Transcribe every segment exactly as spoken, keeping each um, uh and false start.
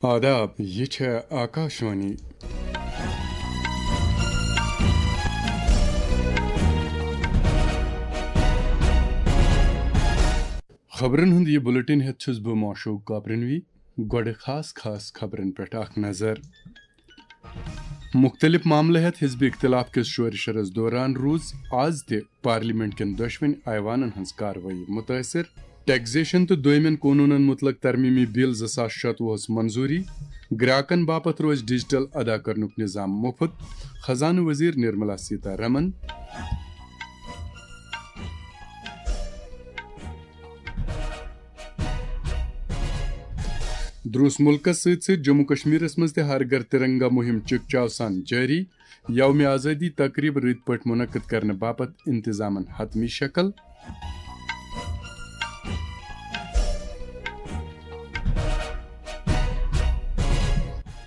آداب، یہِ چھےٚ آکاشوانی۔ خبرن ہُنٛد یہِ بُلٹن ہٮ۪تھ چھُس بہٕ معشوق کاپرنوی۔ گۄڈٕ خاص خاص خبرن پٮ۪ٹھ اکھ نظر۔ مُختٔلِف معاملہٕ ہٮ۪تھ حزب اختلاف کِس شورِ شرس دوران روٗز آز تہِ پارلیمنٹ کٮ۪ن دۄشوٕنۍ ایوانن ہٕنٛز کاروٲیی مُتٲثِر۔ ٹیکسیشن تہٕ دویمٮ۪ن قونوٗنن مُتعلق ترمیمی بل زٕ ساس شتوُہس منظوٗری۔ گراکن باپتھ روزِ ڈیجیٹل ادا کرنُک نظام مُفت۔ خزانہٕ وزیر نرملا سیتا رمن۔ دروس مُلکس سۭتۍ سۭتۍ جموں کشمیرس منٛز تہِ ہر گھر ترنگا مُہِم چکچاو سان جٲری۔ یوم آزٲدی تقریب رٕتۍ پٲٹھۍ منعقد کرنہٕ باپتھ انتظامن حتمی شکل۔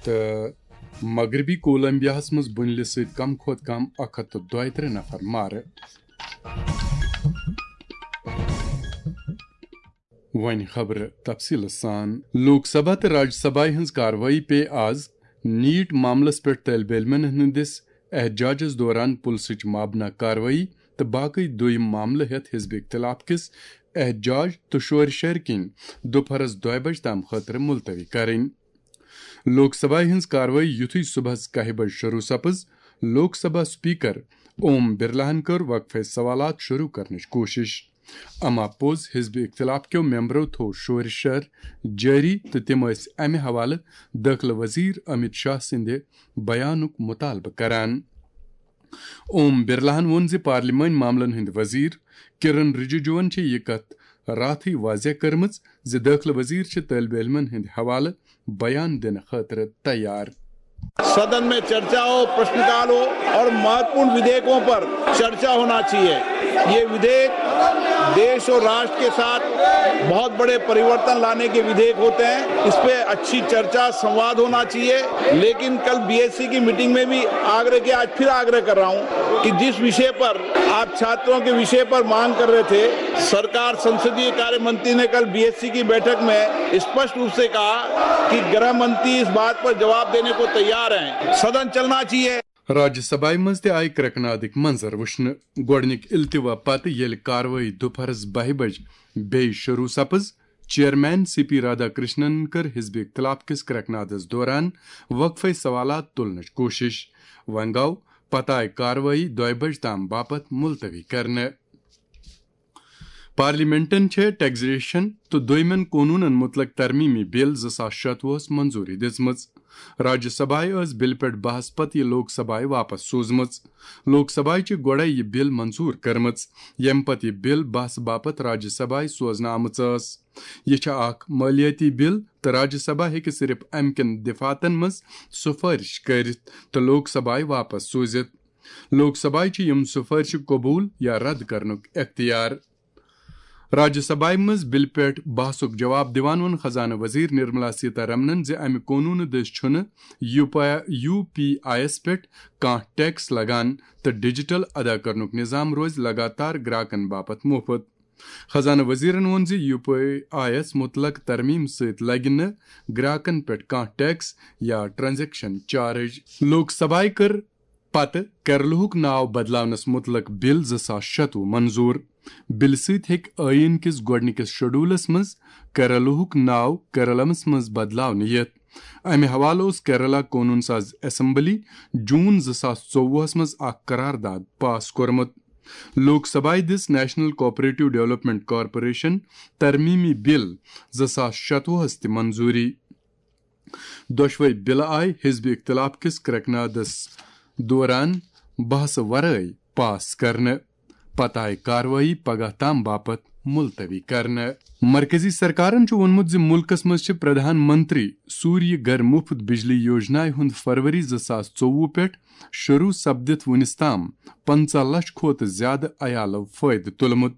تہٕ مغربی کولمبیاہس منٛز بُنلہِ سۭتۍ کم کھۄتہٕ کم اکھ ہتھ تہٕ دۄیہِ ترٕہ نفر مارٕ۔ وۄنۍ خبرٕ تفصیٖلہٕ سان۔ لوک سبھا تہٕ راجیہ سبھایہِ ہٕنٛز کاروٲیی پیٚیہِ آز نیٖٹ معاملس پٮ۪ٹھ طٲلبہِ علمن ہٕنٛدِس احتجاجس دوران پُلسٕچ مابنہ کاروٲیی تہٕ باقٕے دوٚیِم معاملہٕ ہٮ۪تھ حزب اختلاف کِس احتجاج تہٕ شورِ شرِ کِنۍ دُپہرس دۄیہِ بجہِ تام خٲطرٕ ملتوی کرٕنۍ۔ لوک سبھایہِ ہٕنٛز کاروٲیی یُتھُے صُبحس کاہہِ بجہِ شروٗع سپٕز، لوک سبھا سپیکر اوم برلاہن کٔر وقفے سوالات شروٗع کرنٕچ کوٗشش۔ اما پوٚز حزب اختلاف کیو ممبرو تھوو شورِ شر جٲری تہٕ تِم ٲسۍ امہِ حوالہٕ دٲخلہٕ وزیر امت شاہ سٕنٛدِ بیانُک مطالبہٕ کران۔ اوم برلاہن ووٚن زِ پارلیمٲنۍ معاملن ہٕنٛدۍ وزیر کرن رجیجوَن چھِ یہِ کتھ راتھٕے واضح کٔرمٕژ زِ دٲخلہٕ وزیر چھِ طٲلبہِ علمن ہٕنٛدِ حوالہٕ بیان دِنہٕ خٲطرٕ تیار۔ सदन में चर्चा हो, प्रश्नकाल हो और महत्वपूर्ण विधेयकों पर चर्चा होना चाहिए। ये विधेयक देश और राष्ट्र के साथ बहुत बड़े परिवर्तन लाने के विधेयक होते हैं। इस पे अच्छी चर्चा, संवाद होना चाहिए। लेकिन कल बीएससी की मीटिंग में भी आग्रह किया, आज फिर आग्रह कर रहा हूं कि जिस विषय पर आप छात्रों के विषय पर मांग कर रहे थे, सरकार, संसदीय कार्य मंत्री ने कल बीएससी की बैठक में स्पष्ट रूप से कहा कि गृह मंत्री इस बात पर जवाब देने को तैयार हैं। सदन चलना चाहिए। راجیہ سبھایہِ منٛز تہِ آیہِ کرٛٮ۪کہٕ نادٕکۍ منظر وٕچھنہٕ۔ گۄڈٕنِکۍ التوا پتہٕ ییٚلہِ کاروٲیی دُپہرس بَہہِ بجہِ بیٚیہِ شروٗع سپٕز، chairman C P Radha Krishnan کٔر حزب اختلاف کِس کرٛٮ۪کہٕ نادس دوران وقفے سوالات تُلنٕچ کوٗشش۔ وۄنۍ گوٚو پتہٕ آیہِ کاروٲیی دۄیہِ بجہِ تام باپتھ ملتوی کرنہٕ۔ پارلیمنٹن چھےٚ ٹیکسیشن تہٕ دویمٮ۪ن قونوٗنن مُتعلق ترمیمی بل زٕ ساس شتوُہس منظوٗری دِژمٕژ۔ راجیہ سبھایہِ ٲس بلہِ پٮ۪ٹھ بحث پتہٕ یہِ لوک سبھایہِ واپس سوٗزمٕژ۔ لوک سبھایہِ چھِ گۄڈَے یہِ بل منظوٗر کٔرمٕژ، ییٚمہِ پتہٕ یہِ بل بحث باپتھ راجیہ سبھایہِ سوزنہٕ آمٕژ ٲس۔ یہِ چھےٚ اکھ مٲلیٲتی بل تہٕ راجیہ سبھا ہیٚکہِ صرف امہِ کٮ۪ن دفاتن منٛز سفٲرش کٔرِتھ تہٕ لوک سبھایہِ واپس سوٗزِتھ۔ لوک سبھایہِ چھِ یِم سفٲرشہِ قبوٗل یا رد کرنُک اختیار۔ راجیہ سبھایہِ منٛز بلہِ پٮ۪ٹھ بحثُک جواب دِوان ووٚن خزانہٕ وزیر نرملا سیتا رمنن زِ امہِ قونوٗنہٕ دٔسۍ چھُنہٕ یو پی آئی یس پٮ۪ٹھ کانٛہہ ٹیکس لگان تہٕ ڈیجیٹل ادا کرنُک نظام روزِ لگاتار گراکن باپتھ مُفت۔ خزانہٕ وزیرن ووٚن زِ یو پی آئی یس مُتعلق ترمیم سۭتۍ لگہِ نہٕ گراکن پٮ۪ٹھ کانٛہہ ٹیکس یا ٹرانزیکشن چارج۔ لوک سبھایہِ کٔر پتہٕ کیرلہُک ناو بدلاونس مُتعلق بل زٕ ساس شتوُہ منظوٗر۔ بلہِ سۭتۍ ہیٚکہِ ٲیٖن کِس گۄڈٕنِکِس شیڈولس منٛز کیرلہُک ناو کیرلمس منٛز بدلاونہٕ یِتھ۔ امہِ حوالہٕ اوس کیرلا قونوٗن ساز اسمبلی جون زٕ ساس ژوٚوُہس منٛز اکھ قرارداد پاس کوٚرمُت۔ لوک سبھایہِ دِژ نیشنل کوآپریٹو ڈیولپمنٹ کارپوریشن ترمیمی بل زٕ ساس شتوُہس تہِ منظوٗری۔ دۄشوے بلہٕ آیہِ حزب اختلاف کِس کرٛٮ۪کہٕ نادس دوران بحثہٕ ورٲے پاس کرنہٕ۔ پتہٕ آیہِ کاروٲیی پگاہ تام باپتھ ملتوی کرنہٕ۔ مرکزی سرکارن چھُ ووٚنمُت زِ مُلکس منٛز چھِ پردھان منتری سوریہ گھر مُفت بجلی یوجنایہِ ہُنٛد فروری زٕ ساس ژوٚوُہ پٮ۪ٹھ شروٗع سپدِتھ وُنِس تام پنٛژاہ لچھ کھۄتہٕ زِیٛادٕ عیالو فٲیدٕ تُلمُت۔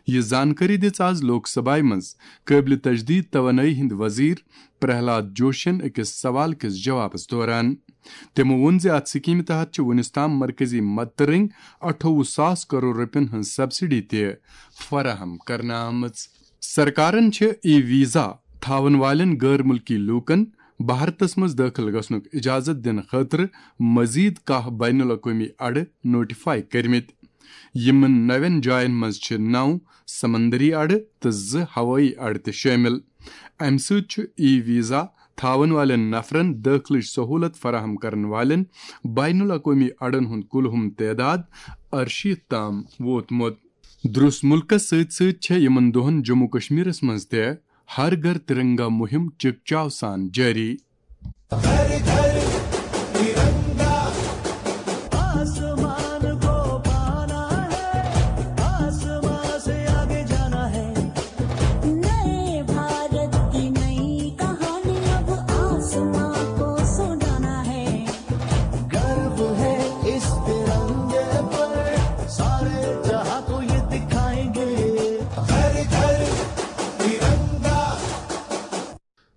یہِ زانکٲری دِژ آز لوک سبھایہ منٛز قٲبلِ تجدید توانٲیی ہٕنٛدۍ وزیر پرہلاد جوشین أکِس سوال کِس جوابس دوران۔ تٔمۍ ووٚن زِ اتھ سکیمہِ تحت چھِ وُنِس تام مرکزی مدتہٕ رٔنگۍ اَٹھووُہ ساس کرور رۄپین ہٕنٛز سبسڈی تہِ فراہم کرنہٕ آمٕژ۔ سرکارن چھِ ای ویزا تھاون والٮ۪ن غٲر مُلکی لوٗکن بھارتس منٛز دٲخل گژھنُک اجازت دِنہٕ خٲطرٕ مزید کاہ بین الاقوٲمی اڈٕ نوٹیفائی کٔرمٕتۍ۔ یِمن نوٮ۪ن جاین منٛز چھِ نو سمندری اڈٕ تہٕ زٕ ہوٲیی اڈٕ تہِ شٲمِل۔ امہِ سۭتۍ چھُ ای ویزا تھاون والٮ۪ن نفرن دٲخلٕچ سہولت فراہم کرن والٮ۪ن بین الاقوٲمی اڈن ہُنٛد کُلہُم تعداد ارشیٖتھ تام ووتمُت۔ درُس مُلکس سۭتۍ سۭتۍ چھےٚ یِمن دۄہن جموں کشمیرس منٛز تہِ ہر گھر ترنگا مُہِم چکچاو سان جٲری۔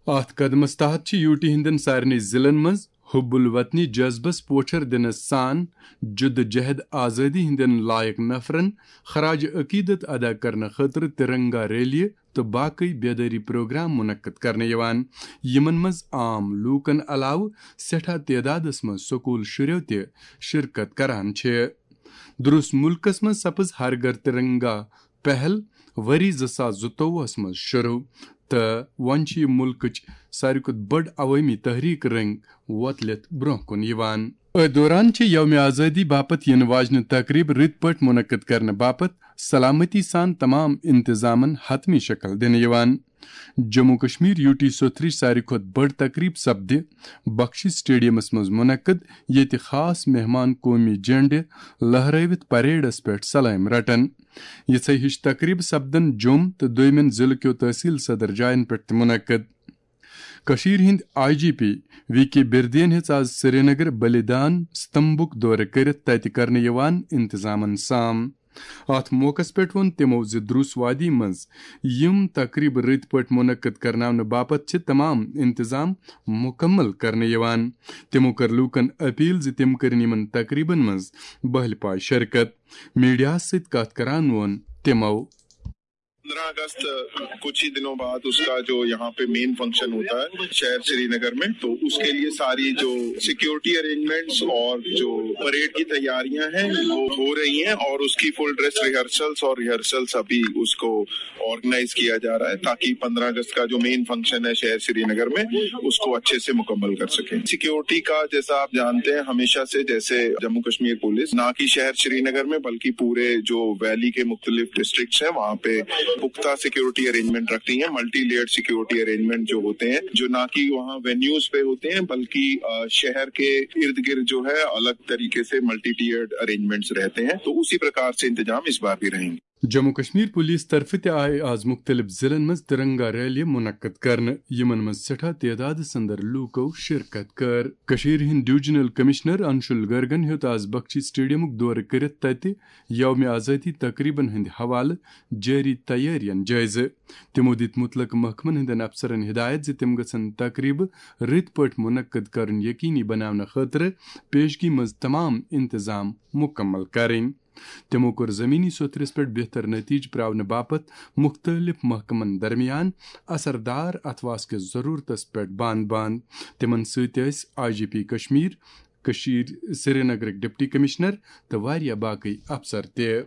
اتھ قدمس تحت چھِ یوٗ ٹی ہٕنٛدٮ۪ن سارنٕے ضلعن منٛز حب الوطنی جذبس پوچھر دِنس سان جدوجہد آزٲدی ہٕنٛدٮ۪ن لایق نفرن خراج عقیدت ادا کرنہٕ خٲطرٕ ترنگا ریلی تہٕ باقٕے بیدٲری پروگرام منعقد کرنہٕ یِوان، یِمن منٛز عام لوٗکن علاوٕ سٮ۪ٹھاہ تعدادس منٛز سکوٗل شُرٮ۪و تہِ شرکت کران چھِ۔ درُس مُلکس منٛز سپٕز ہر گھر ترنگا پہل ؤری زٕ ساس زٕتووُہس منٛز شروع، تہٕ وۄنۍ چھِ یہِ مُلکٕچ ساروی کھۄتہٕ بٔڑ عوٲمی تحریک رٔنٛگۍ وۄتلِتھ برٛونٛہہ کُن یِوان۔ أتھۍ دوران چھِ یوم آزٲدی باپتھ یِنہٕ واجنہِ تقریب رٕتۍ پٲٹھۍ منعقد کرنہٕ باپتھ سلامتی سان تمام انتظامن حتمی شکل دِنہٕ یِوان۔ جموں کشمیر یوٗ ٹی سوٚتھرٕچ ساروی کھۄتہٕ بٔڑ تقریب سپدِ بخشی سٹیڈیمس منٛز منعقد، ییٚتہِ خاص مہمان قومی جنڈٕ لہرٲوِتھ پریڈس پٮ۪ٹھ سلٲمۍ رٹن۔ یِژھے ہِش تقریبہٕ سپدن جوٚم تہٕ دوٚیمٮ۪ن ضلعہٕ کیو تحصیل صدر جاین پٮ۪ٹھ تہِ منعقد۔ کٔشیٖرِ ہٕنٛدۍ آئی جی پی وی کے بِردین ہیٚژ آز سرینگر بلیدان ستمبُک دورٕ کٔرِتھ تتہِ کرنہٕ یِوان انتظامن سام۔ اتھ موقعس پٮ۪ٹھ ووٚن تِمو زِ درُس وادی منٛز یِم تقریبہٕ رٕتۍ پٲٹھۍ منعقد کرناونہٕ باپتھ چھِ تمام انتظام مکمل کرنہٕ یِوان۔ تِمو کٔر لوٗکن اپیل زِ تِم کٔرِن یِمن تقریبن منٛز بہلہِ پایہِ شرکت۔ میڈیاہس سۭتۍ کتھ کران ووٚن تِمو۔ پندرہ اگست، کچھ ہی دنوں بعد اس کا جو یہاں پہ مین فنکشن ہوتا ہے شہر سری نگر میں، تو اس کے لیے ساری جو سیکیورٹی ارینجمنٹس اور جو پریڈ کی تیاریاں ہیں وہ ہو رہی ہیں، اور اس کی فل ڈریس ریہرسلس اور ریہرسلس ابھی اس کو آرگنائز کیا جا رہا ہے، تاکہ پندرہ اگست کا جو مین فنکشن ہے شہر سری نگر میں، اس کو اچھے سے مکمل کر سکیں۔ سیکیورٹی کا، جیسا آپ جانتے ہیں، ہمیشہ سے جیسے جموں کشمیر پولیس نہ کہ شہر سری نگر میں بلکہ پورے جو ویلی کے مختلف ڈسٹرکٹس ہیں وہاں پہ پختہ سیکیورٹی ارینجمنٹ رکھتی ہیں، ملٹی لیئر سیکیورٹی ارینجمنٹ جو ہوتے ہیں، جو نہ کہ وہاں وینیوز پہ ہوتے ہیں بلکہ، آ، شہر کے ارد گرد جو ہے الگ طریقے سے ملٹی ٹیئرڈ ارینجمنٹس رہتے ہیں، تو اسی پرکار سے انتظام اس بار بھی رہیں گے۔ جموں کشمیر پولیس طرفہٕ تہِ آیہِ آز مُختٔلِف ضلعن منٛز ترنگا ریلی منعقد کرنہٕ، یِمن منٛز سٮ۪ٹھاہ تعدادس اندر لوٗکو شرکت کٔر۔ کٔشیٖرِ ہٕنٛدۍ ڈویژنل کمشنر انشول گرگن ہیوٚت آز بخشی سٹیڈیمُک دورٕ کٔرِتھ تتہِ یوم آزٲدی تقریبن ہٕنٛدِ حوالہٕ جٲری تیٲرین جٲیزٕ۔ تِمو دِتۍ مُتلقہٕ محکمن ہٕنٛدٮ۪ن افسرن ہدایت زِ تِم گژھن تقریبہٕ رٕتۍ پٲٹھۍ منعقد کرُن یقینی بناونہٕ خٲطرٕ پیشگی منٛز تمام انتظام مکمل کرٕنۍ۔ تِمو کوٚر زمینی سوٚتھرِس پٮ۪ٹھ بہتر نتیجہٕ پراونہٕ باپتھ مُختٔلِف محکمن درمیان اثردار اتھواس کِس ضروٗرتس پٮ۪ٹھ بانہٕ بانہٕ۔ تِمن سۭتۍ ٲسۍ آئی جی پی کشمیر، کٔشیٖر سرینگرٕکۍ ڈپٹی کمشنر تہٕ واریاہ باقٕے افسر تہِ۔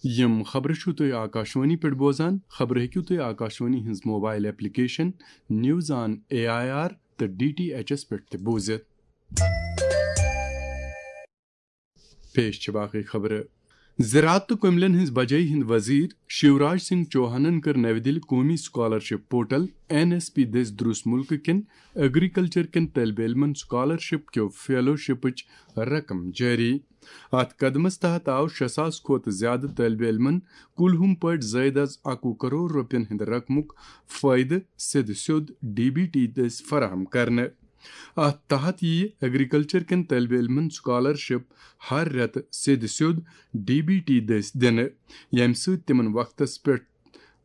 یِم خبرٕ چھِو تُہۍ آکاشوانی پٮ۪ٹھ بوزان۔ خبرٕ ہیٚکِو تُہۍ آکاشوانی ہٕنٛز mobile application news on A I R تہٕ ڈی ٹی ایچ ایس پٮ۪ٹھ تہِ بوٗزِتھ۔ پیش چھِ باقٕے خبرٕ۔ زراعت تہٕ کُملٮ۪ن ہٕنٛز بجٲیی ہٕنٛدۍ وزیر شیوراج سنگھ چوہانن کٔر نَوِ دِلہِ قومی scholarship portal N S P دٔسۍ درُس مُلکہٕ کٮ۪ن ایگریکلچر کٮ۪ن طٲلبہِ علمن سکالرشپ کیو فیلوشپٕچ رقم جٲری۔ اتھ قدمس تحت آو شےٚ ساس کھۄتہٕ زیادٕ طٲلبہِ علمن کُلہُم پٲٹھۍ زٲیدٕ از اَکوُہ کرور رۄپین ہٕنٛدِ رقمُک فٲیدٕ سیٚدِ سیوٚد ڈی بی ٹی دٔسۍ فراہم کرنہٕ۔ اتھ تحت یِیہِ ایگریکلچر کٮ۪ن طٲلبہِ علمن سکالرشپ ہر رٮ۪تہٕ سیٚدِ سیوٚد ڈی بی ٹی دٔسۍ دِنہٕ، ییٚمہِ سۭتۍ تِمن وقتس پٮ۪ٹھ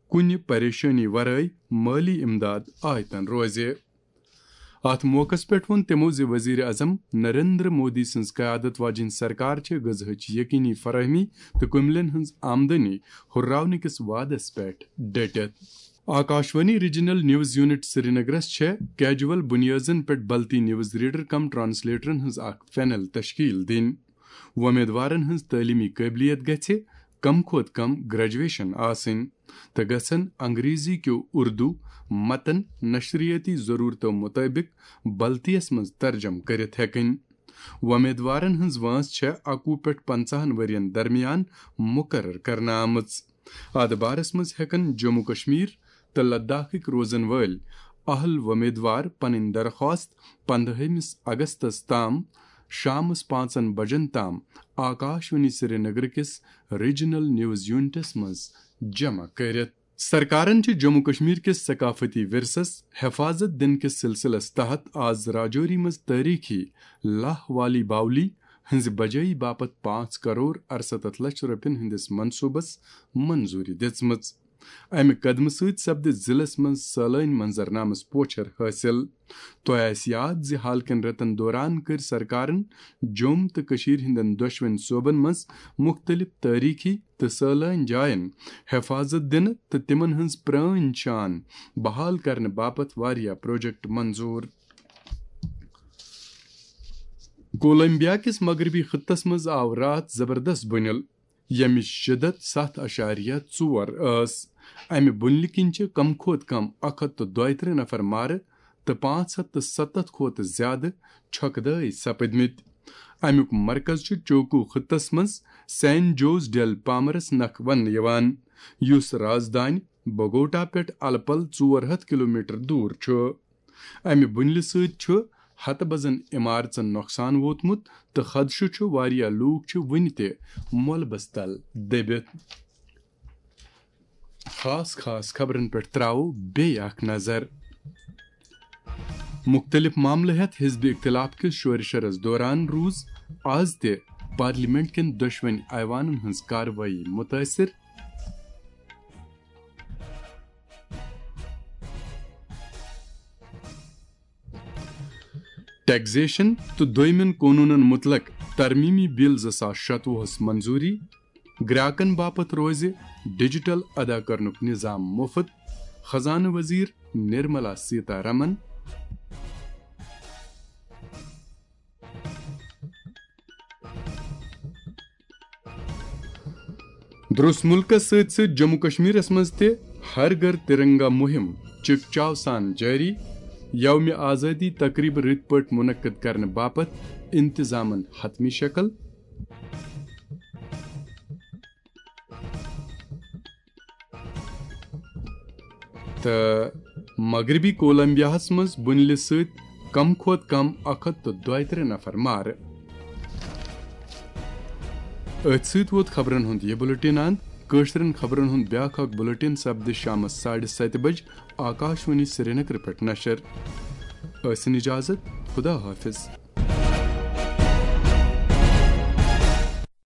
کُنہِ پریشٲنی ورٲے مٲلی امداد آیتن روزِ۔ اتھ موقعس پٮ۪ٹھ ووٚن تِمو زِ وزیر اعظم نریندر مودی سٕنٛز قیادت واجیٚنۍ سرکار چھِ غذاہٕچ یقینی فراہمی تہٕ کُملٮ۪ن ہٕنٛز آمدنی ہُرراونہٕ کِس وعدس پٮ۪ٹھ ڈٔٹِتھ۔ آکاشوانی ریجنل نیوز یونٹ سرینگرس چھےٚ کیجول بنیٲدن پٮ۪ٹھ بلتی نیوز ریڈر کم ٹرانسلیٹرن ہٕنٛز اکھ پینل تشکیل دِنۍ۔ وۄمیدوارن ہٕنٛز تعلیمی قٲبلیت گژھِ کم کھۄتہٕ کم گریجویشن آسٕنۍ تہٕ گژھن انگریزی کیو اردو متن نشریٲتی ضرورتو مطٲبق بلتیس منٛز ترجم کٔرِتھ ہٮ۪کٕنۍ۔ وۄمیدوارن ہٕنٛز وٲنٛس چھےٚ اَکوُہ پٮ۪ٹھ پنٛژاہن ؤرین درمیان مُقرر کرنہٕ آمٕژ۔ اتھ بارس منٛز ہٮ۪کن جموں کشمیر تہٕ لداخٕکۍ روزن وٲلۍ اہل وۄمیدوار پنٕنۍ درخواست پندہٲیمِس اگستس تام شامس پانٛژن بجن تام آکاشوانی سرینگر کِس ریجنل نیوز یونٹس منٛز جمع کٔرِتھ۔ سرکارن چھِ جموں کشمیر کِس ثقافتی ورثس حفاظت دِنہٕ کِس سلسلس تحت آز راجوری منٛز تٲریخی لاہ والی باولی ہٕنٛزِ بجٲیی باپتھ پانٛژھ کرور ارستتھ لچھ رۄپین ہٕنٛدِس منصوبس منظوری دِژمٕژ۔ امہِ قدمہٕ سۭتۍ سپدِ ضلعس منٛز سٲلٲنۍ منظرنامس پوچھر حٲصِل۔ تۄہہِ آسہِ یاد زِ حال کٮ۪ن رٮ۪تن دوران کٔرۍ سرکارن جوٚم تہٕ کٔشیٖر ہٕنٛدٮ۪ن دۄشوٕنۍ صوبن منٛز مُختٔلِف تٲریٖخی تہٕ سٲلٲنۍ جاین حفاظت دِنہٕ تہٕ تِمن ہٕنٛز پرٛٲنۍ شان بحال کرنہٕ باپتھ واریاہ پروجیکٹ منظوٗر۔ کولمبیا کِس مغربی خطس منٛز آو راتھ زبردست بُنِل، ییٚمِچ شدت ستھ اعشاریہ ژور ٲس۔ امہِ بُنلہِ کِنۍ چھِ کم کھۄتہٕ کم اکھ ہتھ تہٕ دۄیہِ ترٕٛہ نفر مارٕ تہٕ پانٛژھ ہتھ تہٕ ستتھ کھۄتہٕ زیادٕ چھۄکہٕ دٲے سپٕدمٕتۍ۔ امیُک مرکز چھُ چوکو خطس منٛز سین جوز ڈیل پامرس نکھ وننہٕ یِوان، یُس رازدانہِ بوگوٹا پٮ۪ٹھ الہٕ پلہٕ ژور ہتھ کلومیٹر دوٗر چھُ۔ امہِ بُنلہِ سۭتۍ چھُ ہتہٕ بزن عمارژن نۄقصان ووتمُت تہٕ خدشہٕ چھُ واریاہ لوٗکھ چھِ وُنہِ تہِ مۄلبس تل دٔبِتھ۔ خاص خاص خبرن پٮ۪ٹھ تراوو بیٚیہِ اکھ نظر۔ مُختٔلِف معاملہٕ ہٮ۪تھ حزب اختلاف کِس شورِ شرس دوران روٗز آز تہِ پارلیمنٹ کٮ۪ن دۄشوٕنۍ ایوانن ہٕنٛز کاروٲیی مُتٲثر۔ ٹیکزیشن تہٕ دوٚیمٮ۪ن قونوٗنن مُتعلق ترمیمی بل زٕ ساس شتوُہس منظوٗری، گراکن باپتھ روزِ ڈیجیٹل ادا کرنُک نظام مُفت، خزانہٕ وزیر نرملا سیتا رمن۔ درس ملکس سۭتۍ سۭتۍ جموں کشمیرس منٛز تہِ ہر گھر ترنگا مہم چکچاو سان جٲری۔ یوم آزادی تقریبہٕ رٕتۍ پٲٹھۍ منعقد کرنہٕ باپتھ انتظامن حتمی شکل۔ تہٕ مغربی کولمبیاہس منٛز بُنلہِ سۭتۍ کم کھۄتہٕ کم اکھ ہتھ تہٕ دۄیہِ ترٕٛہ نفر مارٕ۔ أتھۍ سۭتۍ ووت خبرن ہُنٛد یہِ بُلٹن اند۔ کٲشرٮ۪ن خبرن ہُنٛد بیٛاکھ اکھ بُلٹن سپدِ شامس ساڑِ ستہِ بجہِ آکاشوانی سرینگر پٮ۪ٹھ نشر۔ ٲسِن اجازت، خدا حافظ۔